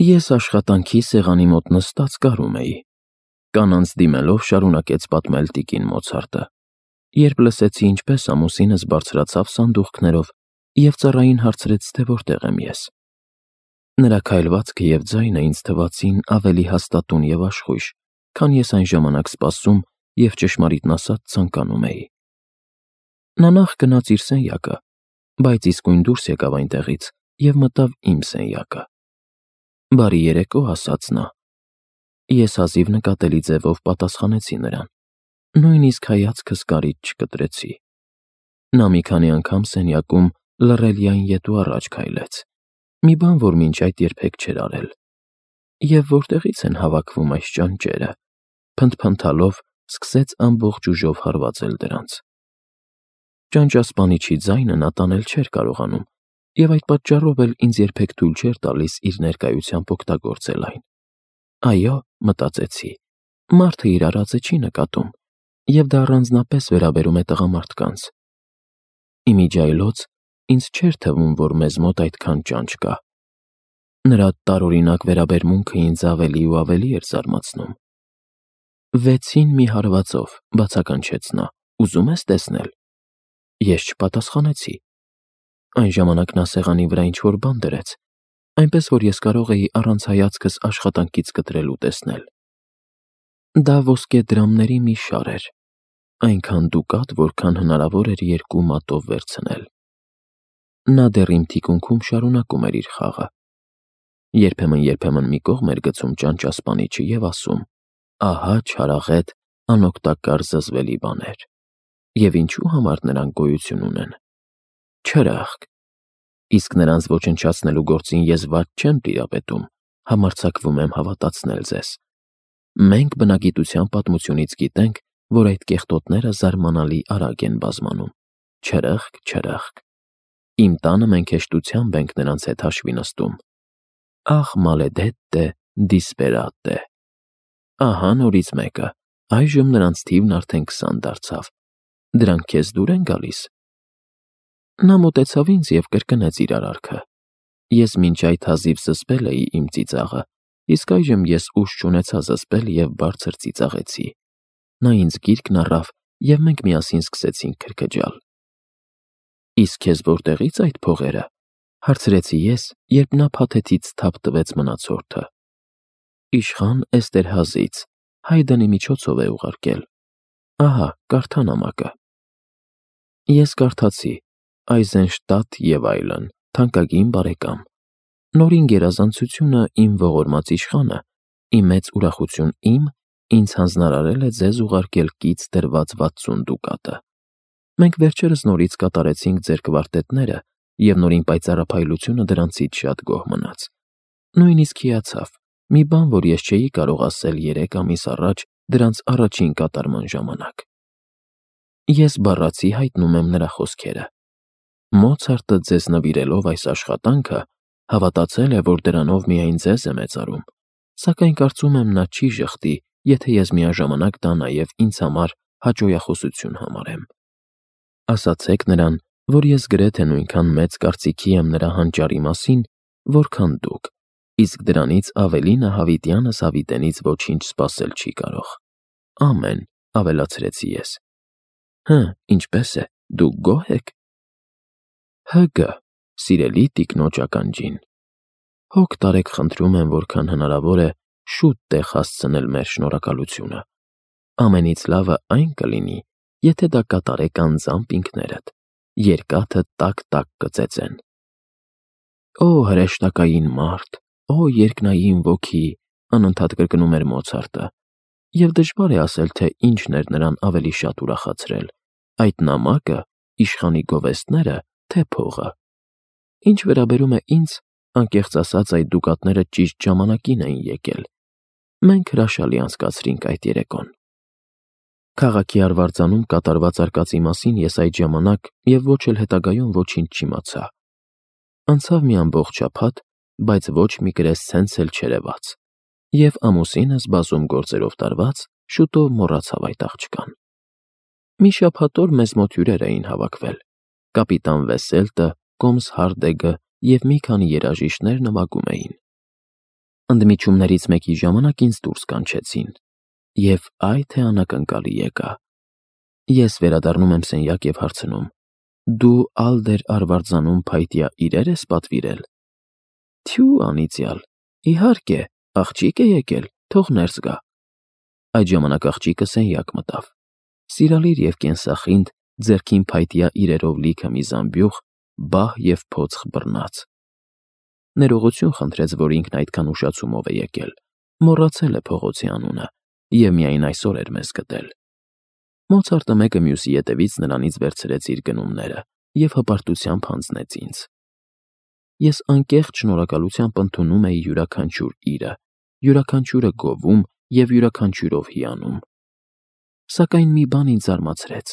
Ես աշխատանքի սեղանի մոտ նստած կարում էի։ Կանանց դիմելով շարունակեց պատմել տիկին Մոցարտը, երբ լսեցի, ինչպես ամուսինս բարձրացավ սանդուղքներով և ծառային հարցրեց, թե որտեղ եմ ես։ Նրա քայլվածքը և ձայնը ինձ թվացին ավելի հաստատուն և աշխույժ, քան ես այն ժամանակ սպասում և ճշմարիտն ասած ցանկանում էի։ Նա նախ գնաց իր սենյակը, բայց իսկույն դուրս եկավ այնտեղից և մտավ իմ սենյակը։ «Բարի երեկո», ասաց նա։ Ես հազիվ նկատելի ձևով պատասխանեցի նրան, նույնիսկ հայացքս կարիճ չկտրեցի։ Նա մի քանի անգամ սենյակում լռելիայն ետ ու առաջ քայլեց, մի բան, որ մինչ այդ երբեք չէր արել։ «Եվ որտեղի՞ց են հավաքվում այս ճանճերը», փնթփնթալով սկսեց ամբողջ ուժով հարվածել դրանց։ Ճանճասպանիչի ձայնը նա տանել չէր կարողանում, և այդ պատճառով էլ ինձ երբեք թույլ չէր տալիս իր ներկայությամբ օգտագործել այն։ «Այո», մտածեցի, մարդը իր արածը չի նկատում, և դա առանձնապես վերաբերում է տղամարդկանց։ Ի միջի այլոց ինձ չէր թվում, որ մեզ մոտ այդքան ճանճ կա։ Նրա տարօրինակ վերաբերմունքը ինձ ավելի ու ավելի էր զարմացնում։ «6-ին մի հարվածով», բացականչեց նա, «ուզում ես տեսնել»։ Ես չպատասխանեցի։ Այն ժամանակ նա սեղանի վրա ինչ-որ բան դրեց, այնպես որ ես կարող էի առանց հայացքս աշխատանքից կտրել ու տեսնել։ Դա ոսկե դրամների մի շար էր, այնքան դուկատ, որքան հնարավոր էր 2 մատով վերցնել։ Նա դեռ իմ թիկունքում շարունակում էր իր խաղը։ Երբեմն մի կողմ էր գցում ճանճասպանիչը և ասում. «Ահա չարաղետ, անօգտակար զզվելի բաներ։ Եվ ինչու համար նրանք գոյություն ունեն։ Չրախկ։ Իսկ նրանց ոչնչացնելու գործին ես վատ չեմ տիրապետում, համարձակվում եմ հավատացնել ձեզ։ Մենք բնագիտության պատմությունից գիտենք, որ այդ կեղտոտները զարմանալի արագ են բազմանում։ Չրախկ, չրախկ։ Իմ տանը մենք հեշտությամբ ենք նրանց հետ հաշվի նստում։ Ահ, մալեդետտե, դիսպերատե։ Ահա նորից մեկը, այժմ նրանց թիվն արդեն 20 դարձավ։ Դրանք քեզ դուր են գալիս»։ Նա մոտեցավ ինձ և կրկնեց իր արարքը։ Ես մինչ այդ հազիվ զսպել էի իմ ծիծաղը, իսկ այժմ ես ուժ չունեցա զսպել և բարձր ծիծաղեցի։ Նա ինձ գիրկն առավ, և մենք միասին սկսեցինք քրքջալ։ «Իսկ քեզ որտեղի՞ց այդ փողերը», հարցրեցի ես, երբ նա փաթեթից թափ տվեց մնացորդը։ «Իշխան Էստերհազից, Հայդենի միջոցով է ուղարկել։ Ահա, կարդա նամակը»։ Ես կարդացի. «Այզենշտադտ և այլն, թանկագին բարեկամ, նորին գերազանցությունը իմ ողորմած իշխանը, ի մեծ ուրախություն իմ, ինձ հանձնարարել է ձեզ ուղարկել կից դրված 60 դուկատը։ Մենք վերջերս նորից կատարեցինք ձեր կվարտետները, և նորին պայծառափայլությունը դրանցից շատ գոհ մնաց։ Նույնիսկ հիացավ, մի բան, որ ես չէի կարող ասել 3 ամիս առաջ դրանց առաջին կատարման ժամանակ»։ Ես բառացի հայտնում եմ նրա խոսքերը։ Մոցարտը ձեզ նվիրելով այս աշխատանքը, հավատացել է, որ դրանով միայն ձեզ է մեծարում, սակայն կարծում եմ նա չի ժխտի, եթե ես միաժամանակ դա նաև ինձ համար հաճոյախոսություն համարեմ։ Ասացեք նրան, որ ես գրեթե նույնքան մեծ կարծիքի եմ նրա հանճարի մասին, որքան դուք, իսկ դրանից ավելի նա հավիտյանս հավիտենից ոչինչ սպասել չի կարող։ Ամեն, ավելացրեցի ես։ Հը, ինչպե՞ս է, դուք գոհ եք։ ՀԳ, սիրելի տիկնոջ ականջին։ Հոգ տարեք խնդրում եմ, որքան հնարավոր է շուտ տեղ հասցնել մեր շնորհակալությունը։ Ամենից լավը այն կլինի, եթե դա կատարեք անձամբ ինքներդ, երկաթը տակ-տակ կծեծեն։ Օ հրեշտակային մարդ, օ երկնային ոգի, անընդհատ կրկնում էր Մոցարտը, և դժվար է ասել, թե ինչն էր նրան ավելի շատ ուրախացրել՝ այդ նամակը, իշխանի գովեստները, թե փողը։ Ինչ վերաբերում է ինձ, անկեղծ ասած, այդ դուկատները ճիշտ ժամանակին էին եկել։ Մենք հրաշալի անցկացրինք այդ երեկոն։ Քաղաքի արվարձանում կատարված արկածի մասին ես այդ ժամանակ և ոչ էլ հետագայում ոչինչ չիմացա։ Անցավ մի ամբողջ շաբաթ, բայց ոչ մի կրեսցենց էլ չերևաց, և ամուսինս բազում գործերով տարված շուտով մոռացավ այդ աղջկան։ Մի շաբաթ օր մեզ մոտ հյուրեր էին հավաքվել. կապիտան Վեսելտը, կոմս Հարդեգը և մի քանի երաժիշտներ նվագում էին։ Ընդմիջումներից մեկի ժամանակ ինձ դուրս կանչեցին, և այ թե անակնկալի եկա։ Ես վերադառնում եմ սենյակ և հարցնում. «Դու Ալդեր Արվարձանում փայտյա իրեր ես պատվիրել»։ Թյու անիծյալ, իհարկե, աղջիկ է եկել, թող ներս գա։ Այդ ժամանակ աղջիկը սենյակ մտավ։ Սիրալիր և կենսախինդ, ձեռքին փայտյա իրերով լիքը մի զամբյուղ, բահ և փոքր բռնած։ Ներողություն խնդրեց, որ ինքն այդքան ուշացումով է եկել, մոռացել է փողոցի անունը և միայն այսօր էր մեզ գտել։ Մոցարտը մեկը մյուսի ետևից նրանից վերցրեց իր գնումները և հպարտությամբ հանձնեց ինձ։ Ես անկեղծ շնորհակալությամբ ընդունում էի յուրաքանչյուր իրը, յուրաքանչյուրը գովում և յուրաքանչյուրով հիանում։ Սակայն մի բան ինձ զարմացրեց.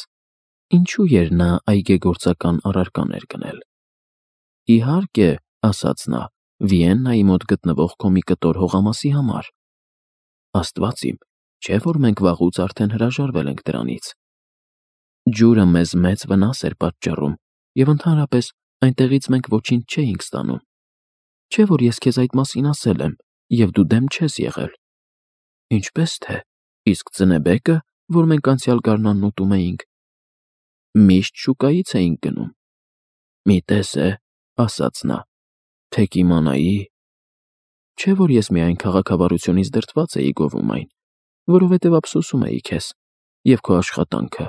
ինչու էր նա այգեգործական առարկաներ գնել։ «Իհարկե», ասաց նա, «Վիեննայի մոտ գտնվող քո մի կտոր հողամասի համար»։ Աստված իմ, չէ՞ որ մենք վաղուց արդեն հրաժարվել ենք դրանից։ Ջուրը մեզ մեծ վնաս էր պատճառում, և ընդհանրապես այնտեղից մենք ոչինչ չէինք ստանում։ Չէ՞ որ ես քեզ այդ մասին ասել եմ, և դու դեմ չես եղել։ Ինչպես թե, իսկ ծնեբեկը, որ մենք անցյալ գարնանն ուտում էինք, միշտ շուկայից էինք գնում։ Մի տես է, ասաց նա, թե կիմանայի… Չէ՞ որ ես միայն քաղաքավարությունից դրդված էի գովում այն, որովհետև ափսոսում էի քեզ և քո աշխատանքը,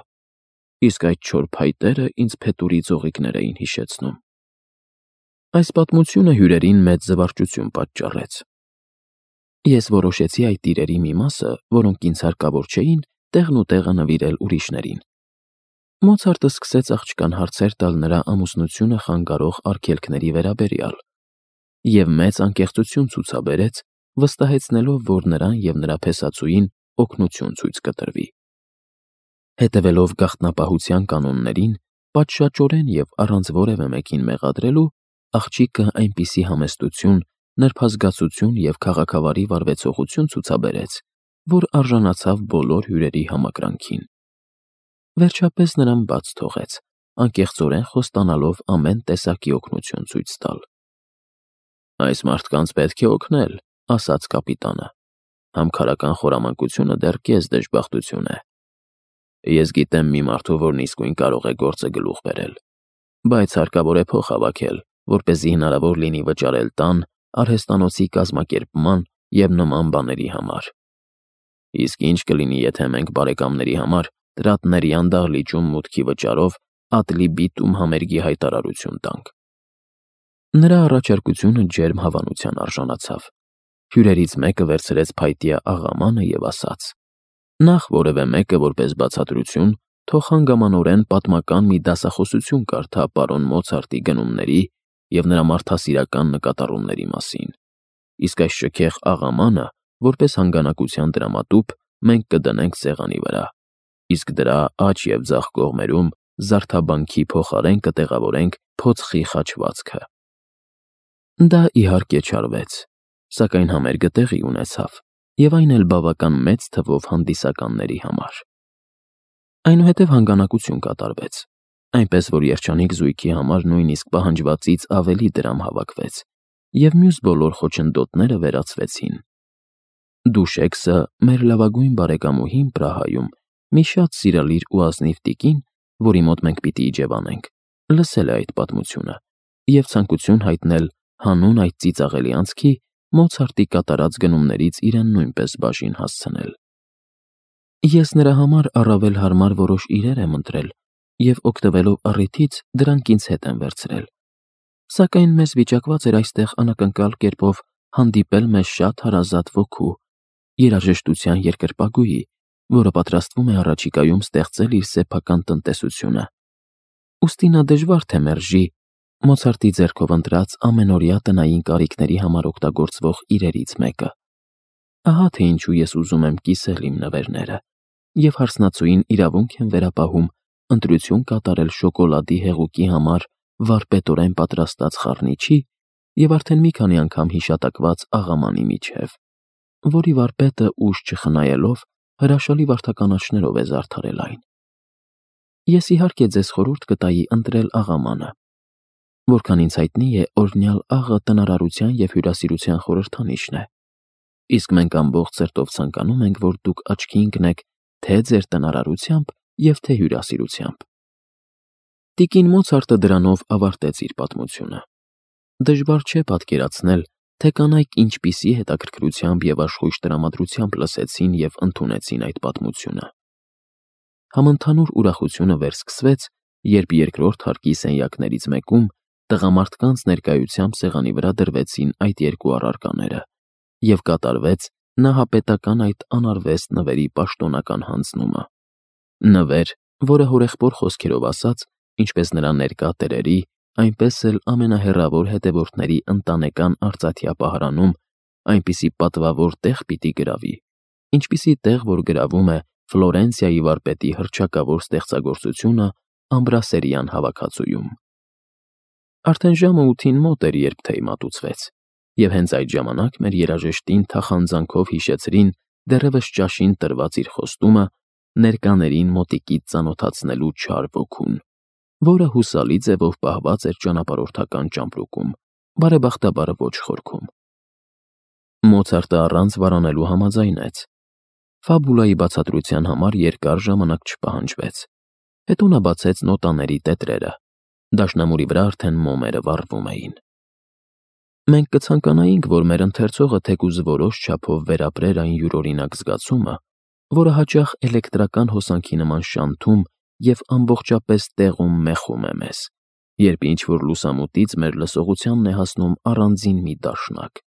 իսկ այդ չոր փայտերը ինձ փետուրի ձողիկներ էին հիշեցնում։ Այս պատմությունը հյուրերին մեծ զվարճություն պատճառեց։ Ես որոշեցի այդ իրերի մի մասը, որոնք ինձ հարկավոր չէին, տեղն ու տեղը նվիրել ուրիշներին։ Մոցարտը սկսեց աղջկան հարցեր տալ նրա ամուսնությունը խանգարող արգելքների վերաբերյալ և մեծ անկեղծություն ցուցաբերեց, վստահեցնելով, որ նրան և նրա փեսածուին օգնություն ցույց կտրվի։ Հետևելով գաղտնապահության կանոններին, պատշաճորեն և առանց որևէ մեկին մեղադրելու, աղջիկը այնպիսի համեստություն, նրբազգացություն և քաղաքավարի վարվեցողություն ցուցաբերեց, որ արժանացավ բոլոր հյուրերի համակրանքին։ Վերջապես նրան բաց թողեց, անկեղծորեն խոստանալով ամեն տեսակի օգնություն ցույց տալ։ «Այս մարդկանց պետք է օգնել», ասաց կապիտանը։ «Համքարական խորամանկությունը դեռ կես դժբախտություն է։ Ես գիտեմ մի մարդու, որն իսկույն կարող է գործը գլուխ բերել, բայց հարկավոր է փող հավաքել, որպեսզի հնարավոր լինի վճարել տան, արհեստանոցի կազմակերպման և նման բաների համար։ Իսկ ինչ կլինի, եթե մենք բարեկամների համար Տրատներյան դահլիճում մուտքի վճարով Ատլի-Բիտում համերգի հայտարարություն տանք»։ Նրա առաջարկությունը ջերմ հավանության արժանացավ։ Հյուրերից մեկը վերցրեց փայտյա աղամանը և ասաց. «Նախ որևէ մեկը որպես բացատրություն թող հանգամանորեն պատմական մի դասախոսություն կարդա պարոն Մոցարտի գնումների և նրա մարդասիրական նկատառումների մասին, իսկ այս շքեղ աղամանը, որպես հանգանակության դրամատուփ, մենք կդնենք սեղանի վրա, իսկ դրա աջ և ձախ կողմերում զարդաբանքի փոխարեն կտեղավորենք փոցխի խաչվածքը»։ Դա իհարկե չարվեց, սակայն համերգը տեղի ունեցավ, և այն էլ բավական մեծ թվով հանդիսականների համար։ Այնուհետև հանգանակություն կատարվեց, այնպես որ երջանիկ զույգի համար նույնիսկ պահանջվածից ավելի դրամ հավաքվեց, և մյուս բոլոր խոչընդոտները վերացվեցին։ Դուշեքսը, մեր լավագույն բարեկամուհին Պրահայում, մի շատ սիրալիր ու ազնիվ տիկին, որի մոտ մենք պիտի իջևանենք, լսել է այդ պատմությունը և ցանկություն հայտնել հանուն այդ ծիծաղելի անցքի Մոցարտի կատարած գնումներից իրեն նույնպես բաժին հասցնել։ Ես նրա համար առավել հարմար որոշ իրեր եմ ընտրել և, օգտվելով առիթից, դրանք ինձ հետ եմ վերցրել։ Սակայն մեզ վիճակված էր այստեղ անակնկալ կերպով հանդիպել մեզ շատ հարազատ ոգու, երաժշտության երկրպագուի, որը պատրաստվում է առաջիկայում ստեղծել իր սեփական տնտեսությունը։ Ուստի նա դժվար թե մերժի Մոցարտի ձեռքով ընտրած ամենօրյա տնային կարիքների համար օգտագործվող իրերից մեկը։ Ահա թե ինչու ես ուզում եմ կիսել իմ նվերները, և հարսնացուին իրավունք եմ վերապահում ընտրություն կատարել շոկոլադի հեղուկի համար վարպետորեն պատրաստած խառնիչի և արդեն մի քանի անգամ հիշատակված աղամանի միջև, որի վարպետը ուժ չխնայելով հրաշալի վարդականաչներով է զարդարել այն։ Ես իհարկե ձեզ խորհուրդ կտայի ընտրել աղամանը։ Որքան ինձ հայտնի է, օրհնյալ աղը տնարարության և հյուրասիրության խորհրդանիշն է, իսկ մենք ամբողջ սրտով ցանկանում ենք, որ դուք աչքի ընկնեք թե ձեր տնարարությամբ և թե հյուրասիրությամբ։ Տիկին Մոցարտը դրանով ավարտեց իր պատմությունը։ Դժվար չէ պատկերացնել, թե կանայք ինչպիսի հետաքրքրությամբ և աշխույժ տրամադրությամբ լսեցին և ընդունեցին այդ պատմությունը։ Համընդհանուր ուրախությունը վերսկսվեց, երբ երկրորդ հարկի սենյակներից մեկում տղամարդկանց ներկայությամբ սեղանի վրա դրվեցին այդ երկու առարկաները և կատարվեց նահապետական այդ անարվեստ նվերի պաշտոնական հանձնումը։ Նվեր, որը հորեղբոր խոսքերով ասած, ինչպես նրա ներկա տերերի, այնպես էլ ամենահեռավոր հետևորդների ընտանեկան արծաթյա պահարանում այնպիսի պատվավոր տեղ պիտի գրավի, ինչպիսի տեղ, որ գրավում է Ֆլորենցիայի վարպետի հռչակավոր ստեղծագործությունը Ամբրասերյան հավաքածուում։ Արդեն ժամը 8-ին մոտ էր, երբ թեյ մատուցվեց, և հենց այդ ժամանակ մեր երաժշտին թախանձանքով հիշեցրին դեռևս ճաշին տրված իր խոստումը ներկաներին մոտիկից ծանոթացնելու չար ոգուն, որը հուսալի ձևով պահված էր ճանապարհորդական ճամպրուկում, բարեբախտաբար ոչ խորքում։ Մոցարտը առանց վարանելու համաձայնեց։ Ֆաբուլայի բացատրության համար երկար ժամանակ չպահանջվեց։ Հետո նա բացեց նոտաների տետրերը։ Դաշնամուրի վրա արդեն մոմերը վառվում էին։ Մենք կցանկանայինք, որ մեր ընթերցողը թեկուզ որոշ չափով վերապրեր այն յուրօրինակ զգացումը, որը հաճախ էլեկտրական հոսանքի նման շանթում և ամբողջապես տեղում մեխում է մեզ, երբ ինչ-որ լուսամուտից մեր լսողությանն է հասնում առանձին մի դաշնակ։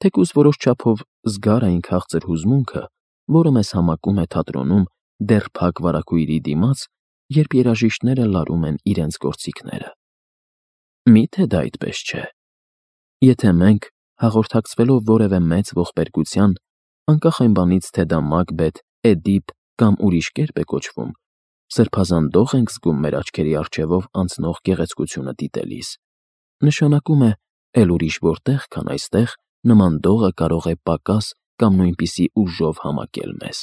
Թեկուզ որոշ չափով զգար այն քաղցր հուզմունքը, որը մեզ համակում է թատրոնում դեռ փակ վարագույրի դիմաց, երբ երաժիշտները լարում են իրենց գործիքները։ Մի՞թե դա այդպես չէ։ Եթե մենք, հաղորդակցվելով որևէ մեծ ողբերգության, անկախ այն բանից, թե դա Մակբեթ, Էդիպ կամ ուրիշ կերպ է կոչվում, սրբազան դող ենք զգում մեր աչքերի առջևով անցնող գեղեցկությունը դիտելիս, նշանակում է էլ ուրիշ որտեղ, քան այստեղ, նման դողը կարող է պակաս կամ նույնպիսի ուժով համակել մեզ։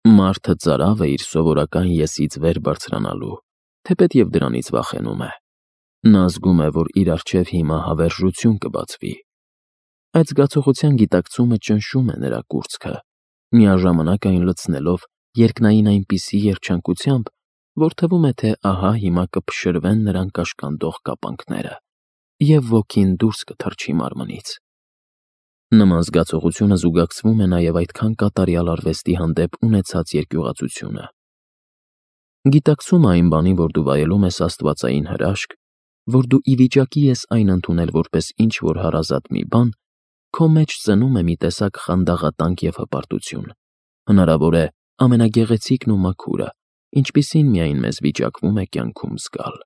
Մարդը ծարավ է իր սովորական եսից վեր բարձրանալու, թեպետ և դրանից վախենում է։ Նա զգում է, որ իր առջև հիմա հավերժություն կբացվի։ Այդ զգացողության գիտակցումը ճնշում է նրա կուրծքը, միաժամանակ այն լցնելով երկնային այնպիսի երջանկությամբ, որ թվում է, թե ահա հիմա կփշրվեն նրան կաշկանդող կապանքները, և ոգին դուրս կթռչի մարմնից։ Նման զգացողությունը զուգակցվում է նաև այդքան կատարյալ արվեստի հանդեպ ունեցած երկյուղածությունը։ Գիտակցումը այն բանի, որ դու վայելում ես աստվածային հրաշք, որ դու ի վիճակի ես այն ընդունել որպես ինչ-որ հարազատ մի բան, քո մեջ ծնում է մի տեսակ խանդաղատանք և հպարտություն, հնարավոր է ամենագեղեցիկն ու մաքուրը, ինչպիսին միայն մեզ վիճակվում է կյանքում զգալ։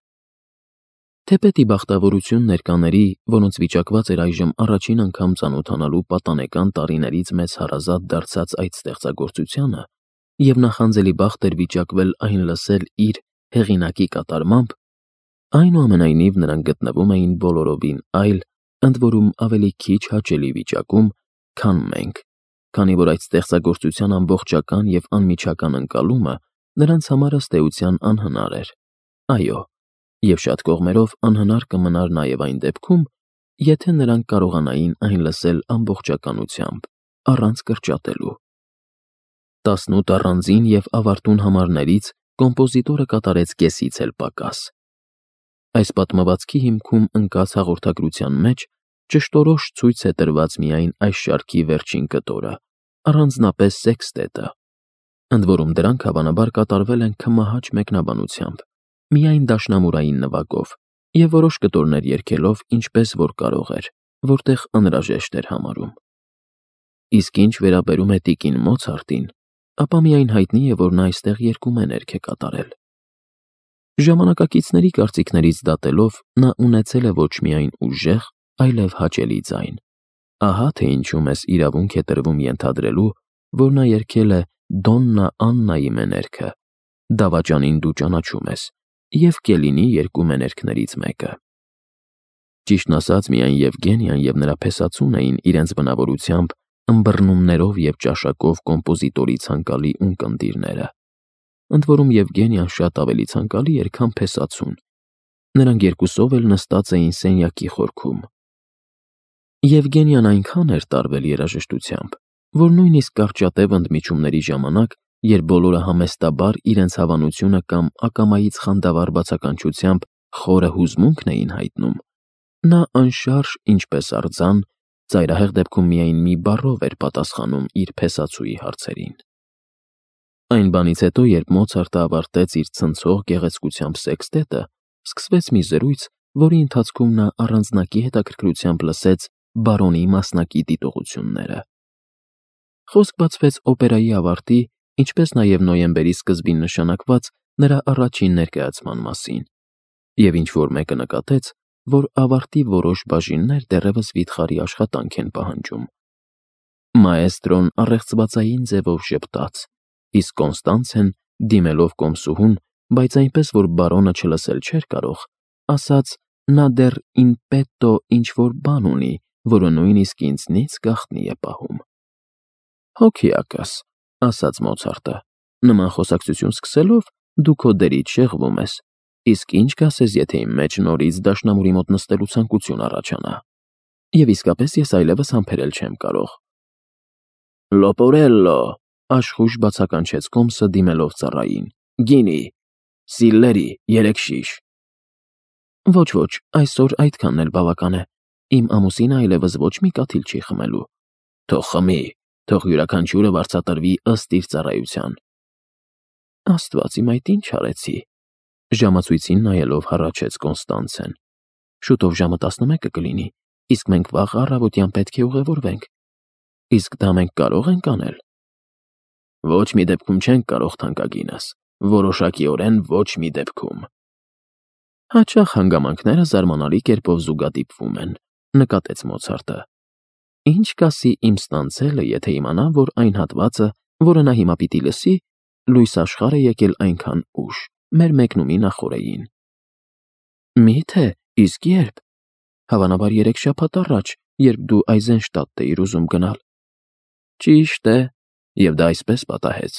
Թեպետ ի բախտավորություն ներկաների, որոնց վիճակված էր այժմ առաջին անգամ ծանոթանալու պատանեկան տարիներից մեծ հարազատ դարձած այդ ստեղծագործությանը և նախանձելի բախտ էր վիճակվել այն լսել իր հեղինակի կատարմամբ, այնուամենայնիվ նրանք գտնվում էին բոլորովին այլ, ընդ որում ավելի քիչ հաճելի վիճակում, քան մենք, քանի որ այդ ստեղծագործության ամբողջական և անմիջական ընկալումը նրանց համար ըստ էության անհնար էր, այո, և շատ կողմերով անհնար կմնար նաև այն դեպքում, եթե նրանք կարողանային այն լսել ամբողջականությամբ, առանց կրճատելու։ 18 առանձին և ավարտուն համարներից կոմպոզիտորը կատարեց կեսից էլ պակաս։ Այս պատմվածքի հիմքում ընկած հաղորդագրության մեջ ճշտորոշ ցույց է տրված միայն այս շարքի վերջին կտորը, առանձնապես սեքստետը, ընդ որում դրանք հավանաբար կատարվել են քմահաճ մեկնաբանությամբ, միայն դաշնամուրային նվագով և որոշ կտորներ երգելով ինչպես որ կարող էր, որտեղ անհրաժեշտ էր համարում։ Իսկ ինչ վերաբերում է տիկին Մոցարտին, ապա միայն հայտնի է, որ նա այստեղ երգումեներգ է կատարել։ Ժամանակակիցների կարծիքներից դատելով նա ունեցել է ոչ միայն ուժեղ, այլև հաճելի ձայն։ Ահա թե ինչու մեզ իրավունք է տրվում ենթադրելու, որ նա երգել է Դոննա Աննայի մեներգը, դավաճանին դու ճանաչում ես, և Կելինի երկու մեներգներից մեկը։ Ճիշտն ասած, միայն Եվգենիան և նրա փեսացուն էին իրենց բնավորությամբ ըմբռնումներով և ճաշակով կոմպոզիտորի ցանկալի ունկնդիրները, ընդ որում Եվգենիան շատ ավելի ցանկալի էր, քան փեսացուն։ Նրանք երկուսով էլ նստած էին սենյակի խորքում։ Եվգենիան այնքան էր տարվել երաժշտությամբ, որ նույնիսկ կարճատև ընդմիջումների ժամանակ, երբ բոլորը համեստաբար իրենց հավանությունը կամ ակամայից խանդավառ բացականչությամբ խորը հուզմունքն էին հայտնում, նա անշարժ ինչպես արձան, ծայրահեղ դեպքում միայն մի բառով էր պատասխանում իր փեսացուի հարցերին։ Այն բանից հետո, երբ Մոցարտը ավարտեց իր ցնցող գեղեցկությամբ սեքստետը, սկսվեց մի զրույց, որի ընթացքում նա առանձնակի հետաքրքրությամբ լսեց բարոնի մասնակի դիտողությունները։ Խոսք բացվեց օպերայի ավարտի, ինչպես նաև նոյեմբերի սկզբին նշանակված նրա առաջին ներկայացման մասին, և ինչ-որ մեկը նկատեց, որ ավարտի որոշ բաժիններ դեռևս վիթխարի աշխատանք են պահանջում։ Մաեստրոն առեղծվածային ձևով ժպտաց, իսկ Կոնստանցեն, դիմելով կոմսուհուն, բայց այնպես, որ բարոնը չլսել չէր կարող, ասաց. «Նա դեռ in petto ինչ-որ բան ունի, որը նույնիսկ ինձնից գաղտնի է պահում»։ «Հոգիակս», ասաց Մոցարտը, «նման խոսակցություն սկսելով դու քո դերից շեղվում ես, իսկ ինչ կասես, եթե իմ մեջ նորից դաշնամուրի մոտ նստելու ցանկություն առաջանա։ Եվ իսկապես ես այլևս համբերել չեմ կարող»։ «Լոպորելլո», աշխույժ բացականչեց կոմսը, դիմելով ծառային, «գինի, սիլլերի 3 շիշ»։ «Ոչ, այսօր այդքանն էլ բավական է, իմ ամուսինը այլևս ոչ մի կաթիլ չի խմելու»։ «Թող խմի, թող յուրաքանչյուրը վարձատրվի ըստ իր ծառայության»։ «Աստված իմ, այդ ինչ արեցի», ժամացույցին նայելով հառաչեց Կոնստանցեն։ «Շուտով ժամը 11 կլինի, իսկ մենք վաղ առավոտյան պետք է ուղևորվենք։ Իսկ դա մենք կարող ենք անել»։ «Ոչ մի դեպքում չենք կարող, թանկագինս, որոշակիորեն ոչ մի դեպքում»։ «Հաճախ հանգամանքները զարմանալի կերպով զուգադիպվում են», նկատեց Մոցարտը։ «Ինչ կասի իմ ստանցելը, եթե իմանա, որ այն հատվածը, որը նա հիմա պիտի լսի, լույս աշխարհ է եկել այնքան ուշ, մեր մեկնումի նախօրեին»։ «Մի՞թե, իսկ ե՞րբ»։ «Հավանաբար 3 շաբաթ առաջ, երբ դու Այզենշտադտ էիր ուզում գնալ»։ «Ճիշտ է, և դա այսպես պատահեց,